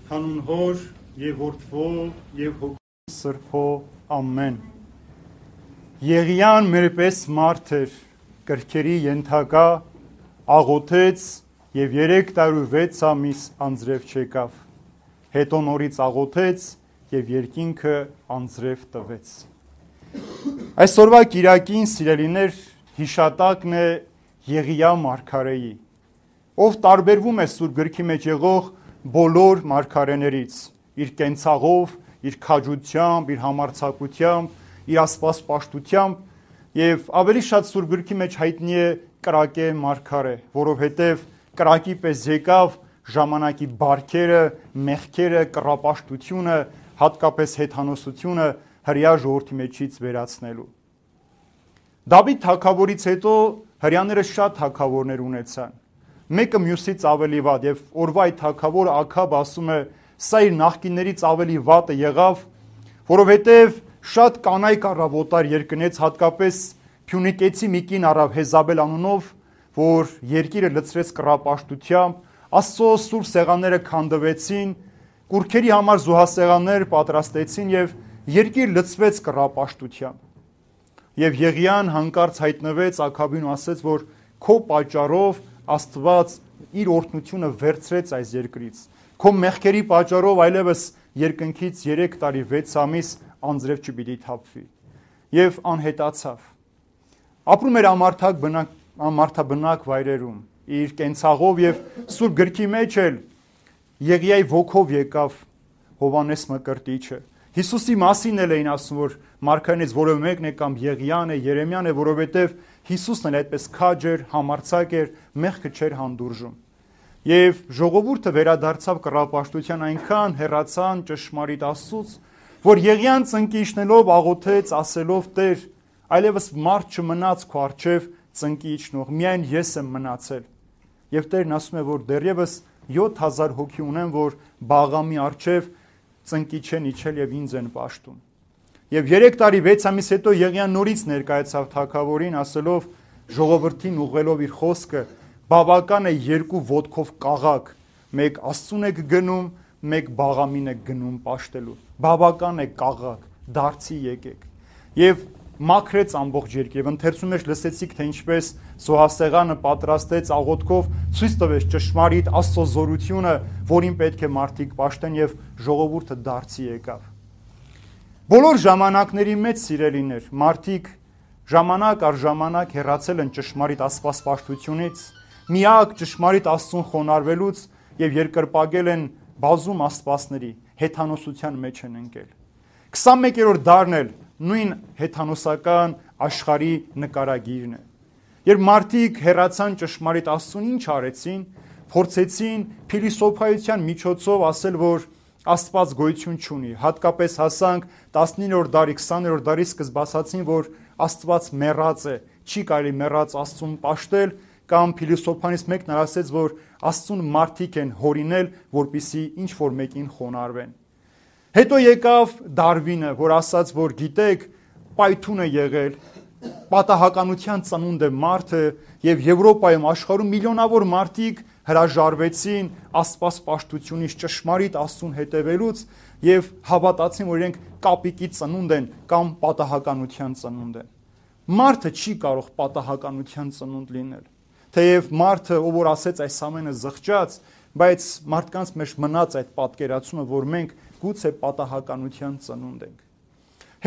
Հանուն Հոր եւ Որդվո եւ Հոգու Սրբո ամեն։ Եղիան մեր պես մարդ էր, կրքերի ենթակա, աղոթեց եւ 306 ամիս անձրև չեկավ։ Հետո նորից աղոթեց եւ երկինքը անձրև տվեց։ Այսօրվա կիրակին, սիրելիներ, հիշատակն է Եղիա մարգարեի, ով տարբերվում է Սուրբ գրքի մեջ եղող բոլոր մարգարեներից, իր կենցաղով, իր քաջությամբ, իր համարձակությամբ, իր աստվածպաշտությամբ եւ ավելի շատ Սուրբ գրքի մեջ հայտնի է կրակե մարգարե, որովհետեւ կրակի պես եկավ ժամանակի բարքերը, մեղքերը, կռապաշտությունը, հատկապես հեթանոսությունը հրեա ժողովրդի մեջից վերացնելու։ Դավիթ թագավորից հետո հրեաները շատ թագավորներ ունեցան, մեկը մյուսից ավելի վատ, եւ օրվա այդ թագավորը Աքաբ ասում է, սա իր նախկիններից ավելի վատը եղավ, որովհետեւ շատ կանայք առավ օտար երկնից, հատկապես Փյունիկեցի մի կին առավ Հեզաբել անունով, որ երկիրը լցրեց կռապաշտությամբ, Աստծո սուրբ սեղանները քանդվեցին, կուռքերի համար զոհասեղաններ պատրաստեցին եւ երկիր լցվեց կռապաշտությամբ։ Եվ Եղիան հանկարծ հայտնվեց Աքաբին ու ասեց, որ քո պատճառով Աստված իր օրհնությունը վերցրեց այս երկրից, քո մեղքերի պատճառով այլևս երկնքից 3 տարի 6 ամիս անձրև չպիտի թափվի, եւ անհետացավ։ Ապրում էր ամարթաբնակ վայրերում, իր կենցաղով եւ Սուրբ գրքի մեջ էլ Եղիայի ոգով եկավ Հովանես Մկրտիչը։ Հիսուսի մասին էլ էին ասում, որ մարգարեներից որևէ մեկն է կամ Եղիան է, Երեմիան է, որովհետեւ Հիսուսն էլ այդպես քաջ էր, համարձակ էր, մեղքը չէր հանդուրժում։ Եվ ժողովուրդը վերադարձավ կռապաշտության, այնքան հեռացան ճշմարիտ Աստծուց, որ Եղիան ծնկի իջնելով աղոթեց, ասելով. Տեր, այլևս մարդ չմնաց քո առջև ծնկի իջնող, միայն ես եմ մնացել։ Եվ Տերն ասում է, որ դեռևս 7000 հոգի ունեմ, որ Բաղամի առջև ծնկի չեն իջել եւ ինձ են պաշտում։ Եվ 3 տարի 6 ամիս հետո Եղիան նորից ներկայացավ թագավորին, ասելով ժողովրդին ուղղելով իր խոսքը. բավական է 2 ոտքով կաղակ, մեկ Աստծուն եք գնում, մեկ Բաղամին եք գնում պաշտելու։ Բավական է կաղակ, դարձի եկեք։ Եվ մաքրեց ամբողջ երկիրը, եւ ընթերցում մեջ լսեցիք, թե ինչպես զոհասեղանը պատրաստեց աղոթքով, ցույց տվեց ճշմարիտ Աստծո զորությունը, որին պետք է մարդիկ պաշտեն, եւ ժողովուրդը դարձի եկավ։ Բոլոր ժամանակների մեջ, սիրելիներ, մարդիկ ժամանակ առ ժամանակ հեռացել են ճշմարիտ աստվածպաշտությունից, միակ ճշմարիտ Աստծուն խոնարհվելուց եւ երկրպագել են բազում աստվածների, հեթանոսության մեջ են ընկել։ 21-րդ դարն էլ նույն հեթանոսական աշխարհի նկարագիրն է։ Երբ մարդիկ հեռացան ճշմարիտ Աստծուն, ինչ արեցին, փորձեցին փիլիսոփայության միջոցով ասել, որ Աստված գոյություն չունի, հատկապես հասանք 19-րդ դարի, 20-րդ դարի սկզբասացին, որ Աստված մեռած է, չի կարելի մեռած Աստծուն պաշտել, կամ փիլիսոփաներից մեկն ասեց, որ Աստծուն մարդիկ են հորինել, որպիսի ինչ որ մեկին խոնարհվեն։ Հետո եկավ Դարվինը, որ ասաց, որ գիտեք, պայթուն է եղել, պատահականության ծնունդ է մարդը, եւ Եվրոպայում, աշխարհում միլիոնավոր մարդիկ հրաժարվեցին աստվածպաշտությունից, ճշմարիտ Աստծուն հետևելուց եւ հավատացին, որ իրենք կապիկի ծնունդ են կամ պատահականության ծնունդ են։ Մարդը չի կարող պատահականության ծնունդ լինել։ Թեև մարդը, ով որ ասեց այս ամենը զղջաց, բայց մարդկանց մեջ մնաց այդ պատկերացումը, որ մենք գուցե պատահականության ծնունդ ենք։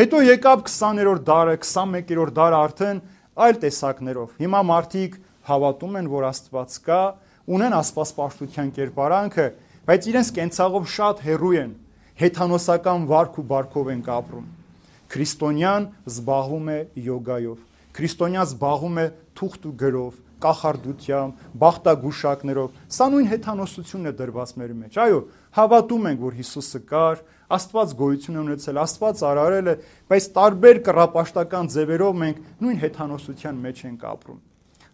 Հետո եկավ 20-րդ դարը, 21-րդ դարը արդեն այլ տեսակներով։ Հիմա մարդիկ հավատում են, որ Աստված կա, ունեն աստվածպաշտության կերպարանքը, բայց իրենց կենցաղով շատ հեռու են, հեթանոսական վարք ու բարքով են ապրում։ Քրիստոնյան զբաղվում է յոգայով, քրիստոնյան զբաղվում է թուղթ ու գրով, կախարդությամբ, բախտագուշակներով։ Սա նույն հեթանոսությունն է դրված մեր մեջ։ Այո, հավատում ենք, որ Հիսուսը կար, Աստված գոյություն է ունեցել, Աստված արարել է, բայց տարբեր կռապաշտական ձևերով մենք նույն հեթանոսության մեջ ենք ապրում։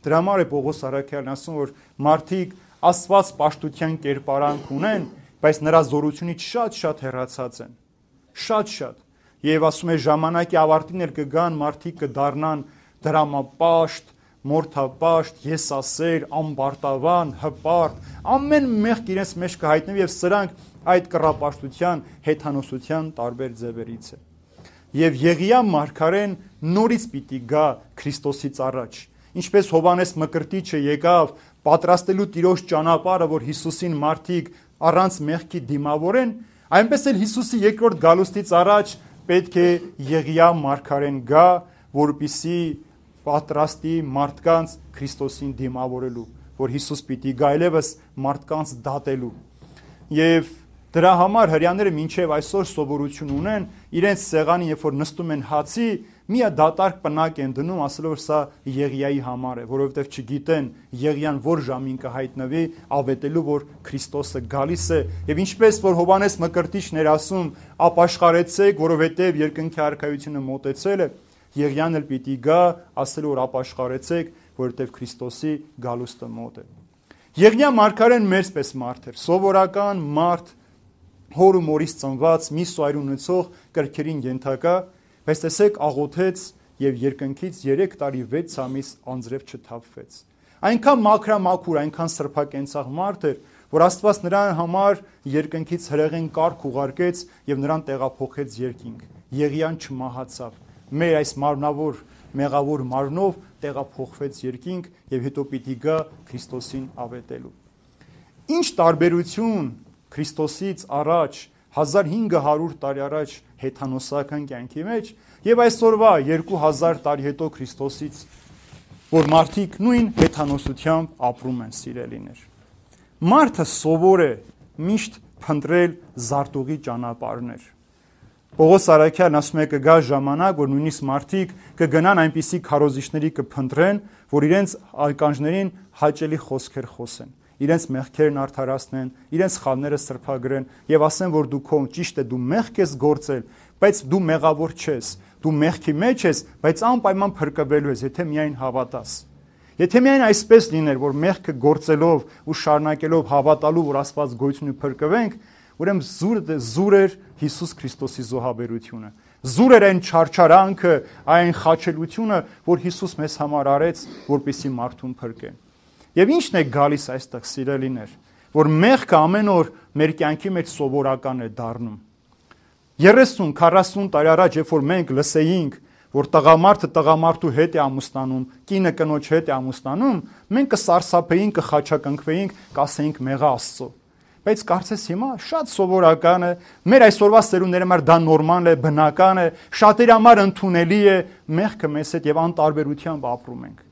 Դրա համար է Պողոս առաքյալն ասում, որ մարդիկ Աստված պաշտության կերպարանք ունեն, բայց նրա զորությունից շատ հեռացած են։ Շատ։ Եվ ասում է ժամանակի ավարտին էլ կգան մարդիկ կդառնան դրամապաշտ, մորթապաշտ, եսասեր, ամբարտավան, հպարտ, ամեն մեղք իրենց մեջ կհայտնվի եւ սրանք այդ կռապաշտության, հեթանոսության տարբեր ձևերից է։ Եվ Եղիա մարգարեն նորից պիտի գա Քրիստոսից առաջ։ Ինչպես Հովանես Մկրտիչը եկավ պատրաստելու Տիրոջ ճանապարհը, որ Հիսուսին մարդիկ առանց մեղքի դիմավորեն, այնպես էլ Հիսուսի երկրորդ գալուստից առաջ պետք է Եղիա մարգարեն գա, որպիսի պատրաստի մարդկանց Քրիստոսին դիմավորելու, որ Հիսուս պիտի գա այլևս մարդկանց դատելու։ Եվ դրա համար հրեաները մինչև այսօր սովորություն ունեն իրենց սեղանին, երբ որ նստում են հացի, մի դատարկ պնակ են դնում, ասելով որ սա Եղիայի համար է, որովհետև չգիտեն Եղիան որ ժամին կհայտնվի, ավետելու որ Քրիստոսը գալիս է, եւ ինչպես որ Հովանես Մկրտիչն էր ասում, ապաշխարեցեք, որովհետև երկնքի արքայությունը մոտեցել է, Եղիան էլ պիտի գա, ասելու որ ապաշխարեցեք, որովհետև Քրիստոսի գալուստը մոտ է։ Եղիա մարգարեն մերսպես մարդ էր, սովորական մարդ, հոր ու մորից ծնված, մի սոյր ունեցող կրքերին ենթակա, բայց տեսեք աղոթեց եւ երկնքից 3 տարի 6 ամիս անձրև չթափվեց։ Այնքան մաքրամաքուր, այնքան սրբակենցաղ մարդ էր, որ Աստված նրան համար երկնքից հրեղեն կարգ ուղարկեց եւ նրան տեղափոխեց երկինք։ Եղիան չմահացավ։ Մեր այս մարմնավոր մեղավոր մարմնով տեղափոխվեց երկինք եւ հետո պիտի գա Քրիստոսին ավետելու։ Ինչ տարբերություն Քրիստոսից առաջ 1500 տարի առաջ հեթանոսական կյանքի մեջ եւ այսօրվա 2000 տարի հետո Քրիստոսից, որ մարդիկ նույն հեթանոսությամբ ապրում են, սիրելիներ։ Մարդը սովոր է միշտ փնտրել զարտուղի ճանապարհներ։ Պողոս Արաքյալն ասում է կգա ժամանակ, որ նույնիսկ մարդիկ կգնան այնպիսի քարոզիչների կփնտրեն, որ իրենց ականջներին հաճելի խոսքեր խոսեն, իրենց մեղքերն արդարացնեն, իրենց խավները սրբագրեն եւ ասեն, որ դու քո ճիշտ է, դու մեղք ես գործել, բայց դու մեղավոր չես, դու մեղքի մեջ ես, բայց անպայման փրկվելու ես, եթե միայն հավատաս։ Եթե միայն այսպես լիներ, որ մեղքը գործելով ու շարունակելով հավատալու, որ Աստված գոյություն ու փրկվենք, ուրեմն զուր էր Հիսուս Քրիստոսի զոհաբերությունը։ Զուր էր այն չարչարանքը, այն խաչելությունը, որ Հիսուս մեզ համար արեց, որպեսզի մարդուն փրկե։ Եվ ի՞նչն է գալիս այստեղ, սիրելիներ, որ մեղքը ամեն օր մեր կյանքի մեջ սովորական է դառնում։ 30-40 տարի առաջ, երբ որ մենք լսեինք, որ տղամարդը տղամարդու հետ է ամուսնանում, կինը կնոջ հետ է ամուսնանում, մենք կսարսափեինք, կխաչակնքվեինք, կասեինք մեղա Աստծո։ Բայց կարծես հիմա շատ սովորական է, մեր այսօրվա սերունդների համար դա նորմալ է, բնական է, շատերի համար ընդունելի է, մեղքը մեզ հետ եւ անտարբերությամբ ապրում ենք։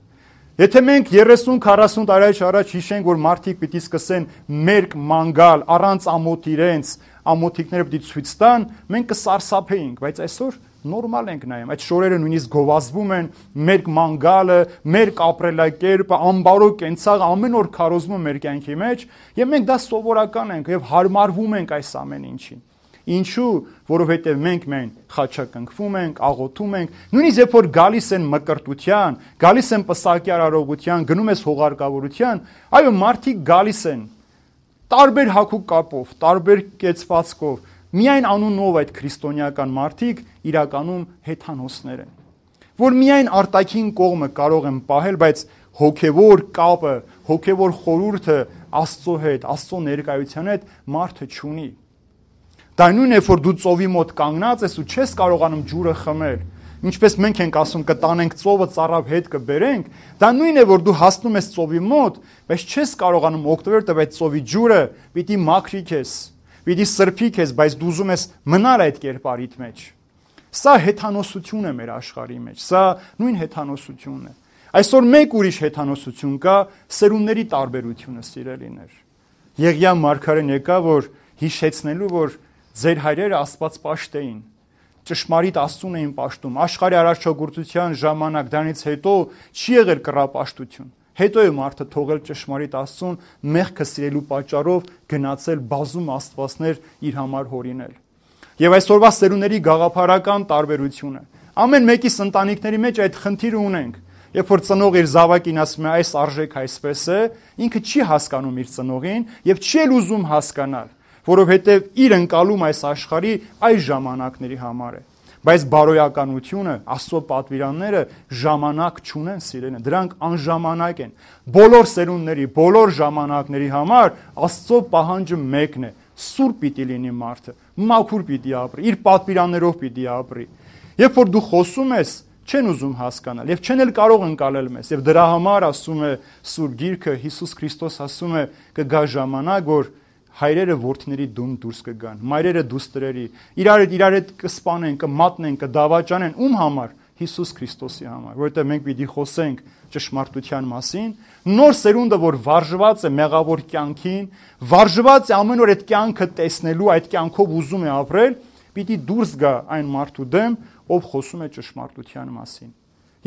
Եթե մենք 30-40 տարի առաջ հիշենք, որ մարդիկ պիտի սկսեն մերկ մանգալ առանց ամոթ իրենց, ամոթիկները պիտի ցույց տան, մենք կսարսափեինք, բայց այսօր նորմալ ենք նայում, այդ շորերը նույնիսկ գովազդվում են, մերկ մանգալը, մերկ ապրելակերպը, ամբարո կենցաղը ամեն օր քարոզվում մեր կյանքի մեջ, եւ մենք դա սովորական ենք եւ հարմարվում ենք այս ամեն ինչին։ Ինչու? Որովհետև մենք մեն խաչակնքվում ենք, աղոթում ենք, նույնիսկ երբ որ գալիս են մկրտության, գալիս են պսակի արարողության, գնում ես հողարկավորության, այո, մարդիկ գալիս են տարբեր հագու կապով, տարբեր կեցվածքով, միայն անունով այդ քրիստոնեական մարդիկ իրականում հեթանոսներ են, որ միայն արտաքին կողմը կարող են պահել, բայց հոգևոր կապը, հոգևոր խորհուրդը Աստծո հետ, Աստծո ներկայության հետ մարդը չունի։ Դա նույնն է, որ դու ծովի մոտ կանգնած ես ու չես կարողանում ջուրը խմել, ինչպես մենք ենք ասում կտանենք ծովը ծառավ հետ կբերենք, դա նույնն է, որ դու հասնում ես ծովի մոտ, բայց չես կարողանում օգտվել այդ ծովի ջուրը, պիտի մաքրի քեզ, պիտի սրբի քեզ, բայց դու ուզում ես մնալ այդ կերպարիդ մեջ։ Սա հեթանոսություն է մեր աշխարհի մեջ, սա նույն հեթանոսությունն է։ Այսօր մեկ ուրիշ հեթանոսություն կա, սերունդների տարբերությունը, սիրելիներ։ Եղիա մարգարեն եկա, որ հիշեցնելու, որ ձեր հայրերը Աստված պաշտ էին, ճշմարիտ Աստծուն էին պաշտում, աշխարհի արարչագործության ժամանակ, դրանից հետո չի եղել կռապաշտություն։ Հետո է մարդը թողել ճշմարիտ Աստծուն, մեղքը սիրելու պատճառով գնացել բազում աստվածներ իր համար հորինել։ Եվ այսօրվա սերունդների գաղափարական տարբերությունը։ Ամեն մեկիս ընտանիքների մեջ այդ խնդիրը ունենք։ Երբ որ ծնող իր զավակին ասում է այս արժեք այսպես է, ինքը չի հասկանում իր ծնողին եւ չի էլ ուզում հասկանալ, որովհետեւ իր ընկալում այս աշխարհի այս ժամանակների համար է։ Բայց բարոյականությունը, Աստծո պատվիրանները ժամանակ չունեն, սիրելիներ, դրանք անժամանակ են։ Բոլոր սերունդների, բոլոր ժամանակների համար Աստծո պահանջը մեկն է՝ սուրբ պիտի լինի մարդը, մաքուր պիտի ապրի, իր պատվիրաններով պիտի ապրի։ Երբ որ դու խոսում ես, չեն ուզում հասկանալ եւ չեն էլ կարող ընկալել մեզ, եւ դրա համար ասում է Սուրբ Գիրքը, Հիսուս Քրիստոս ասում է կգա ժամանակ, որ հայրերը որդիների դուն դուրս կգան, մայրերը դուստրերի, իրար հետ կսպանեն, կմատնեն, կդավաճանեն, ում համար? Հիսուս Քրիստոսի համար, որովհետեւ մենք պիտի խոսենք ճշմարտության մասին, նոր սերունդը, որ վարժված է մեղավոր կյանքին, վարժված է ամեն օր այդ կյանքը տեսնելու, այդ կյանքով ուզում է ապրել, պիտի դուրս գա այն մարդու դեմ, ով խոսում է ճշմարտության մասին։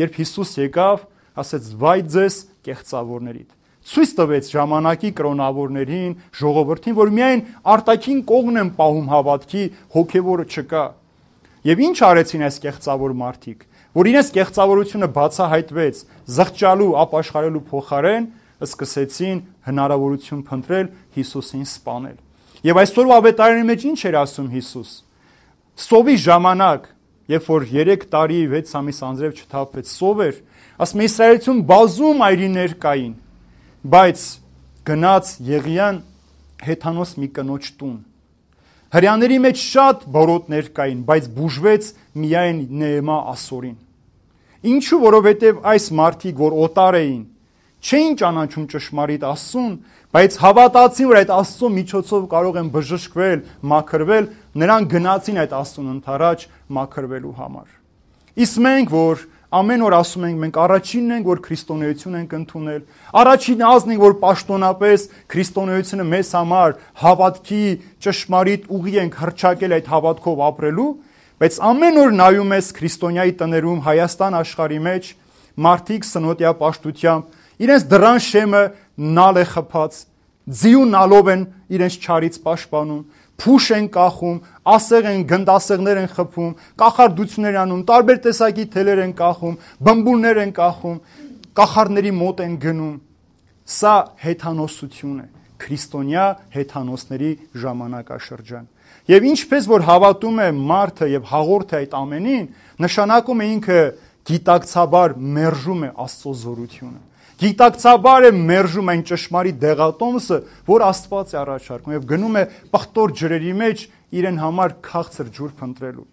Երբ Հիսուս եկավ, ասեց՝ «Վայ ձեզ կեղծավորներիդ»։ Ցույց տվեց ժամանակի կրոնավորներին, ժողովրդին, որ միայն արտաքին կողմն են պահում հավատքի, հոգևորը չկա։ Եվ ինչ արեցին այս կեղծավոր մարդիկ, որ իրենց կեղծավորությունը բացահայտվեց, զղջալու, ապաշխարելու փոխարեն սկսեցին հնարավորություն փնտրել Հիսուսին սպանել։ Եվ այսօրվա ավետարանի մեջ ինչ էր ասում Հիսուս։ Սովի ժամանակ, երբ որ 3 տարի 6 ամիս անձրև չթափվեց, սով էր, ասում է Իսրայելություն բազում այրիներ կային, բայց գնաց Եղիան հեթանոս մի կնոջ տուն։ Հրյաների մեջ շատ բորոտներ կային, բայց բուժվեց միայն Նեեմա ասորին։ Ինչու? Որովհետև այս մարդիկ, որ օտար էին, չէին ճանաչում ճշմարիտ Աստծուն, բայց հավատացին, որ այդ Աստծո միջոցով կարող են բժշկվել, մաքրվել, նրանք գնացին այդ Աստծուն ընդառաջ մաքրվելու համար։ Իսկ մենք, որ ամեն օր ասում ենք, մենք առաջինն ենք, որ քրիստոնեություն ենք ընդունել, առաջին ազգն ենք, որ պաշտոնապես քրիստոնեությունը մեզ համար հավատքի ճշմարիտ ուղի ենք հռչակել այդ հավատքով ապրելու, բայց ամեն օր նայում ես քրիստոնյայի տներում Հայաստան աշխարհի մեջ մարդիկ սնոտիա պաշտությամբ իրենց դռան շեմը նալ է խփած, ձիու նալով են իրենց չարից պաշտպանում, փուշ են կախում, ասեղ են, գնդասեղներ են խփում, կախարդություններ անում, տարբեր տեսակի թելեր են կախում, բմբուլներ են կախում, կախարդների մոտ են գնում։ Սա հեթանոսություն է, քրիստոնյա հեթանոսների ժամանակաշրջան։ Եվ ինչպես որ հավատում է մարդը եւ հաղորդ է այդ ամենին, նշանակում է ինքը գիտակցաբար մերժում է Աստծո զորությունը։ Գիտակցաբար է մերժում այն ճշմարիտ դեղատոմսը, որ Աստված է առաջարկում եւ գնում է պղտոր ջրերի մեջ իրեն համար քաղցր ջուր փնտրելու։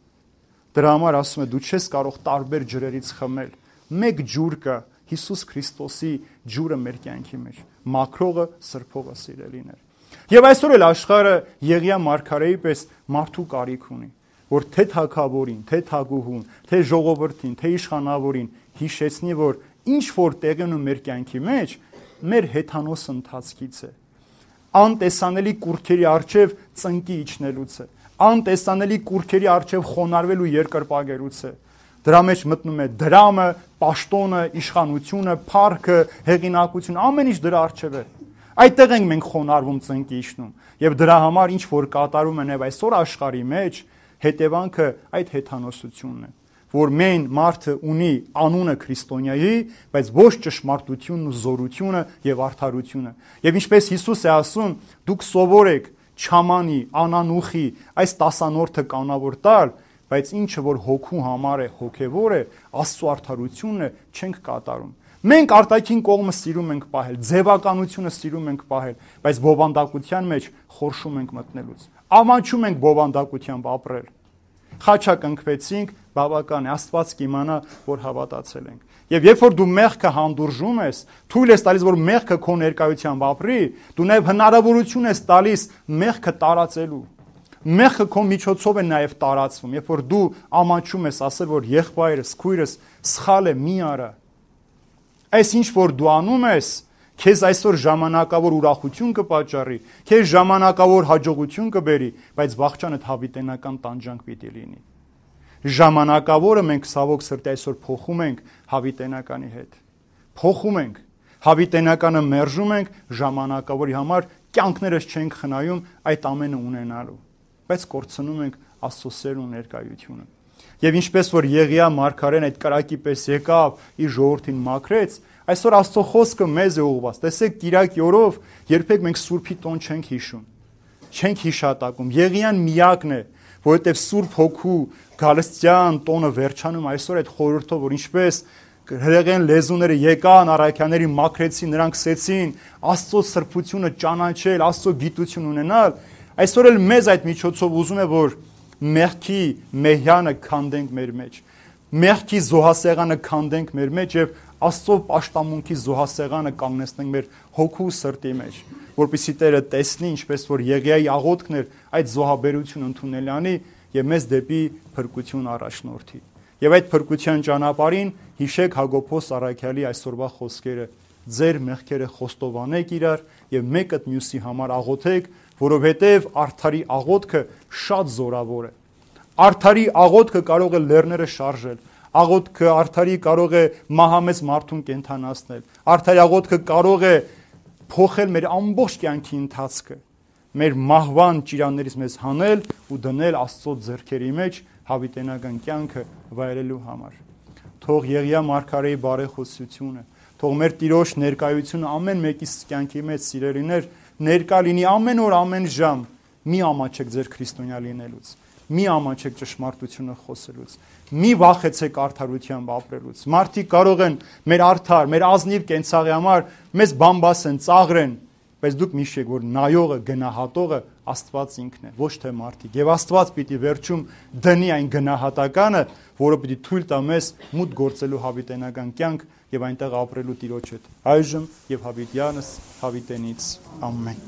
Դրա համար ասում է դու չես կարող տարբեր ջրերից խմել։ Մեկ ջուր կա, Հիսուս Քրիստոսի ջուրը մեր կյանքի մեջ, մաքրողը, սրբողը, սիրելիներ։ Եվ այսօր էլ աշխարհը Եղիա մարգարեի պես մարդու կարիք ունի, որ թե թագավորին, թե թագուհուն, թե ժողովրդին, թե իշխանավորին հիշեցնի, որ ինչ որ տեղի ունի մեր կյանքի մեջ, մեր հեթանոս ընթացքից է, անտեսանելի կուրքերի առջև ծնկի իջնելուց է, անտեսանելի կուրքերի առջև խոնարհվելու երկրպագերուց է։ Դրա մեջ մտնում է դրամը, պաշտոնը, իշխանությունը, փառքը, հեղինակությունը, ամեն ինչ դրա առջև է։ Այդտեղ ենք մենք խոնարհվում, ծնկի իջնում, եւ դրա համար ինչ որ կատարում են եւ այսօր աշխարհի մեջ հետևանքը այդ հեթանոսությունն է, որ մեն մարդը ունի անունը քրիստոնյայի, բայց ոչ ճշմարտությունն ու զորությունը եւ արդարությունը։ Եվ ինչպես Հիսուս է ասում, դուք սովոր եք չամանի, անանուխի, այս տասանորդը կանավոր տալ, բայց ինչը որ հոգու համար է, հոգևոր է, Աստծո արդարությունն է, չենք կատարում։ Մենք արտաքին կողմը սիրում ենք պահել, ձևականությունը սիրում ենք պահել, բայց բովանդակության մեջ խորշում ենք մտնելուց։ Ամաչում ենք բովանդակությամբ ապրել։ Խաչակնքվեցինք, բավական է, Աստված կիմանա, որ հավատացել ենք։ Եվ երբ որ դու մեղքը հանդուրժում ես, թույլ ես տալիս, որ մեղքը քո ներկայությամբ ապրի, դու նաև հնարավորություն ես տալիս մեղքը տարածելու։ Մեղքը քո միջոցով է նաև տարածվում։ Երբ որ դու ամաչում ես, ասել, որ եղբայրս, քույրս սխալ է, մի արա։ Այս ինչ որ դու անում ես, քեզ այսօր ժամանակավոր ուրախություն կպատճառի, քեզ ժամանակավոր հաջողություն կբերի, բայց վաղճան հավիտենական տանջանք պիտի լինի։ Ժամանակավորը մենք ցավոք սրտի այսօր փոխում ենք հավիտենականի հետ։ Փոխում ենք, հավիտենականը մերժում ենք, ժամանակավորի համար կյանքներս չենք խնայում այդ ամենը ունենալու, բայց կորցնում ենք Աստծո սերն ու ներկայությունը։ Եվ ինչպես որ Եղիա մարգարեն այդ կրակի պես եկավ, իր ժողովրդին մաքրեց, այսօր Աստծո խոսքը մեզ է ուղղված։ Տեսեք, Կիրակի օրով երբեք մենք Սուրբի տոն չենք հիշում, չենք հիշատակում։ Եղիան միակն է, որովհետև Սուրբ Հոգու գալստյան տոնը վերջանում այսօր այդ խորհրդով, որ ինչպես հրեղեն լեզուները եկան, առաքյանների մաքրեցին, նրանք սկսեցին Աստծո սրբությունը ճանաչել, Աստծո գիտություն ունենալ, այսօր էլ մեզ այդ միջոցով ուզում է, որ մեղքի մեհյանը քանդենք մեր մեջ, մեղքի զոհասեղանը քանդենք մեր մեջ եւ Աստծո պաշտամունքի զոհասեղանը կանգնեցնենք մեր հոգու սրտի մեջ, որպեսզի Տերը տեսնի, ինչպես որ Եղիայի աղոթքն էր, այդ զոհաբերությունը ընդունել անի եւ մեզ դեպի փրկություն առաջնորդի։ Եվ այդ փրկության ճանապարհին հիշեք Հակոբոս առաքյալի այսօրվա խոսքերը. ձեր մեղքերը խոստովանեք իրար եւ մեկը մյուսի համար աղոթեք, որովհետեւ արդարի աղոթքը շատ զորավոր է։ Արդարի աղոթքը կարող է լեռները շարժել, աղոթքը արդարի կարող է մահամեծ մարդուն կենդանացնել, արդարի աղոթքը կարող է փոխել մեր ամբողջ կյանքի ընթացքը, մեր մահվան ճիրաններից մեզ հանել ու դնել Աստծո ձեռքերի մեջ հավիտենական կյանքը վայելելու համար։ Թող Եղիա մարգարեի բարեխոսությունը, թող մեր Տիրոջ ներկայությունը ամեն մեկի կյանքի մեջ սիրելիներ ներկա լինի ամեն օր, ամեն ժամ։ Մի ամաչեք ձեր քրիստոնյա լինելուց, մի ամաչեք ճշմարտությունը խոսելուց, մի վախեցեք արդարությամբ ապրելուց։ Մարդիկ կարող են մեր արդար, մեր ազնիվ կենցաղի համար մեզ բամբասեն, ծաղրեն, բայց դուք միշտ որ նայողը, գնահատողը Աստված ինքն է, ոչ թե մարդիկ։ Եվ Աստված պիտի վերջում դնի այն գնահատականը, որը պիտի թույլ տա մեզ մուտք գործելու հավիտենական կյանք եւ այնտեղ ապրելու Տիրոջ հետ այժմ եւ հավիտյանս հավիտենից ամեն։